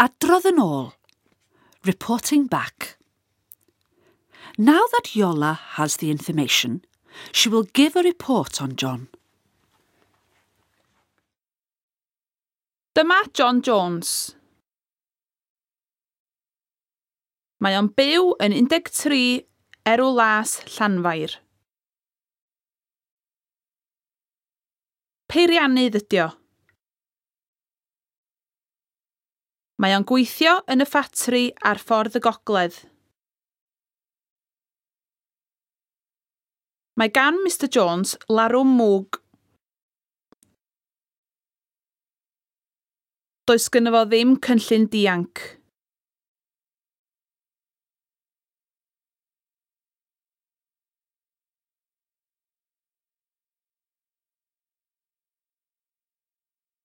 Adrodd yn ôl. Reporting back. Now that Iola has the information, she will give a report on John. Dyma John Jones. Mae o'n byw yn 13 Erw Las, Llanfair. Peiriannydd ydi o. Mae o'n gweithio yn y ffatri ar Ffordd y Gogledd. Mae gan Mr Jones larwm mwg. Does gynno fo ddim cynllun dianc.